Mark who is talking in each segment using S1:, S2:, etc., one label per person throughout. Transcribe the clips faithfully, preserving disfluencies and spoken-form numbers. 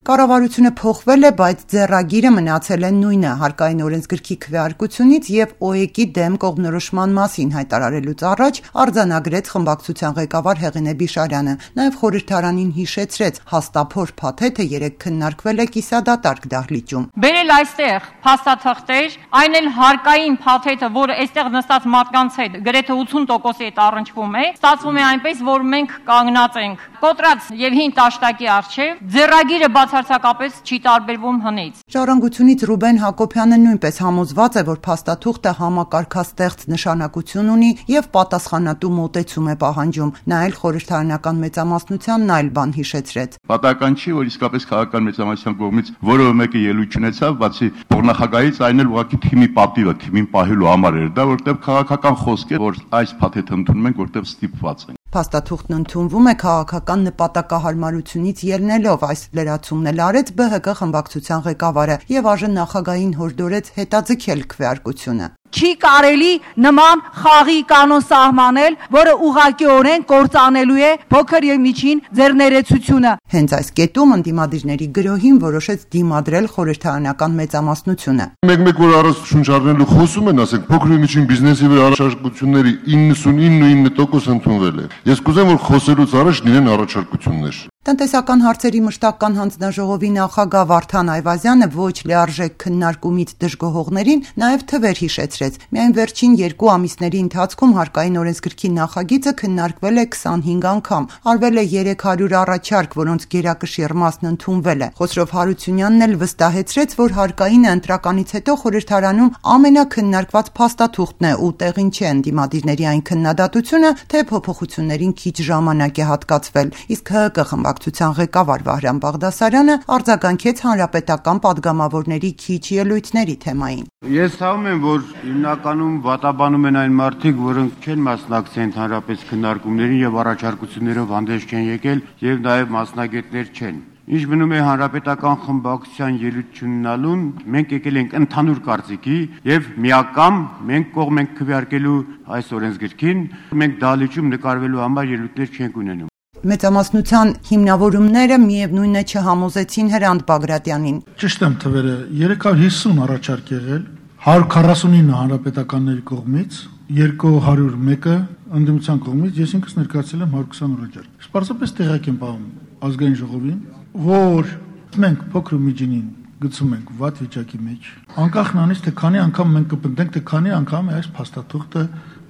S1: Կառավարությունը փոխվել է, բայց ձեռագիրը մնացել է նույնը՝ հարկային օրենսգրքի քվեարկությունից եւ ՕԵԿ-ի դեմ կողմնորոշման մասին հայտարարելուց առաջ արձանագրեց խմբակցության ղեկավար Հեղինե Բիշարյանը, նաեւ խորհրդարանին հիշեցրեց հաստափոր փաթեթը երեկ քննարկվել է կիսադատարկ դահլիճում։
S2: Բերել այստեղ փաստաթղթեր, այն էլ հարկային փաթեթը, որը այստեղ նստած մարդկանց հետ գրեթե ութուն տոկոսի հետ առնչվում է, ստացվում է այնպես, որ մենք կանգնած ենք կոտրած եւ հին տաշտակի առջեւ, ձեռագիրը բացարձակապես չի տարբերվում հնից։
S1: Ժառանգությունից Ռուբեն Հակոբյանը նույնպես համոզված է, որ փաստաթուղթը համակարգաստեղծ նշանակություն ունի եւ պատասխանատու մոտեցում է պահանջում։ Նա էլ խորհրդարանական մեծամասնությանն այլ բան հիշեցրեց։
S3: Պատահական չի, որ իսկապես քաղաքական մեծամասնության կողմից որևէ մեկը ելույթ չունեցավ, բացի փոխնախագահից, այն էլ ուղղակի թիմի պատիվը, թիմին պահելու համար էր դա, որտեղ քաղաքական խոսք է, որ այս փաթեթը ընդունում ենք, որտեղ ստիպված ենք։
S1: Փաստաթուղթն ընդունվում է քաղաքական նպատակահարմարությունից ելնելով, այս լրացումն էլ արեց ԲՀԿ խմբակցության ղեկավարը եւ այժմ նախագահին հորդորեց հետաձգել քվեարկությունը։
S4: Չի կարելի նման խաղի կանոն սահմանել, որը ուղղակիորեն կործանելու է փոքր եւ միջին ձեռներեցությունը։
S1: Հենց այս կետում ընդդիմադիրների գրոհին որոշեց դիմադրել խորհրդարանական մեծամասնությունը։
S5: Մեկ-մեկ որ առանց շունչ առնելու խոսում են, ասենք փոքր եւ միջին բիզնեսի վրա առաջարկությունների իննսունինը տոկոս ընդունվել է։ Ես կուզեմ, որ խոսելուց առաջ լինեն առաջարկություններ։
S1: Տնտեսական հարցերի մշտական հանձնաժողովի նախագահ Վարդան Այվազյանը ոչ լիարժեք քննարկումից դժգոհողներին նաև թվեր հիշեցրեց։ Միայն վերջին երկու ամիսների ընթացքում հարկային օրենսգրքի նախագիծը քննարկվել է քսանհինգ անգամ, արվել է երեք հարյուր առաջարկ, որոնց գերակշիռ մասն ընդունվել է։ Խոսրով Հարությունյանն էլ վստահեցրեց, որ հարկայինը ընտրականից հետո խորհրդարանում ամենաքննարկված փաստաթուղթն է ու տեղին չէ ընդդիմադիրների այն քննադատությունը, թե փոփոխություններին քիչ ժամանակ է հատկացվել։ Իսկ ՀՀԿ խմբակցության ղեկավար Վահրամ Բաղդասարյանը արձագանքեց հանրապետական падգամավորների քիչ ելույթների թեմային։
S6: Ես ցավում եմ, որ հիմնականում վատաբանում են այն մարդիկ, որոնք չեն մասնակցել ընդհանրապես քննարկումներին եւ առաջարկություններով հանդես չեն եկել եւ նաեւ մասնագետներ չեն։ Ինչ մնում է հանրապետական խմբակցության ելույթ չունենալուն, մենք եկել ենք ընդհանուր կարծիքի եւ միակամ մենք կողմ ենք քվեարկելու այս օրենսգրքին, մենք դահլիճում նկարվելու համար ելույթներ չենք ունենում։
S1: Մեծամասնության հիմնավորումները միևնույն է չհամոզեցին Հրանտ Բագրատյանին։
S7: Ճիշտ եմ թվերը, երեք հարյուր հիսուն առաջարկ եղել, հարյուր քառասունինը հանրապետականների կողմից, երկու հարյուր մեկը ընդդիմության կողմից, ես ինքս ներկայացրել եմ հարյուր քսան առաջարկ։ Պարզապես տեղյակ եմ պահում ազգային ժողովին, որ մենք փոքր ու միջինին գցում ենք վատ վիճակի մեջ։ Անկախ նրանից, թե քանի անգամ մենք կպնդենք, թե քանի անգամ է այս փաստաթուղթը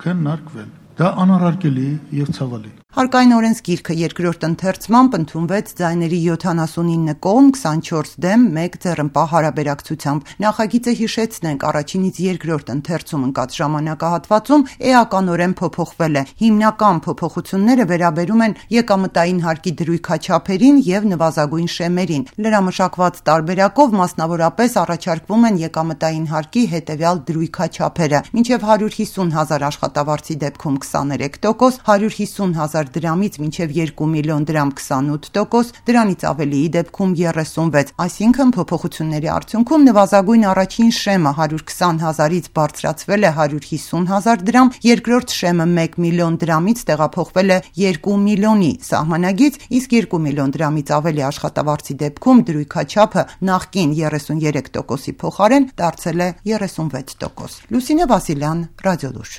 S7: քննարկվել։ Դա անառարկելի եւ ցավալի։
S1: Հարկային օրենսգիրքը երկրորդ ընթերցմամբ ընդունվեց ձայների յոթանասունինը կողմ, քսանչորս դեմ, մեկ ձեռնպահ հարաբերակցությամբ։ Նախագիծը հիշեցնենք առաջինից երկրորդ ընթերցում ընկած ժամանակահատվածում էականորեն փոփոխվել է։ Հիմնական փոփոխությունները վերաբերում են եկամտային հարկի դրույքաչափերին եւ նվազագույն շեմերին։ Լրամշակված տարբերակով մասնավորապես առաջարկվում են եկամտային հարկի հետեւյալ դրույքաչափերը՝ մինչեւ հարյուր հիսուն հազար աշխատավարձի դեպքում քսաներեք տոկոս, հարյուր հիսուն հազար դրամից մինչև երկու միլիոն դրամ քսանութ տոկոս, դրանից ավելիի դեպքում երեսունվեց, այսինքն փոփոխությունների արդյունքում նվազագույն առաջին շեմը հարյուր քսան հազարից բարձրացվել է հարյուր հիսուն հազար դրամ, երկրորդ շեմը մեկ միլիոն դրամից տեղափոխվել է երկու միլիոնի սահմանագից, իսկ երկու միլիոն դրամից ավելի աշխատավարձի դեպքում դրույքաչափը նախկին երեսուներեք տոկոսի փոխարեն դարձել է երեսունվեց տոկոս։ Լուսինե Վասիլյան, Ռադիոլուր։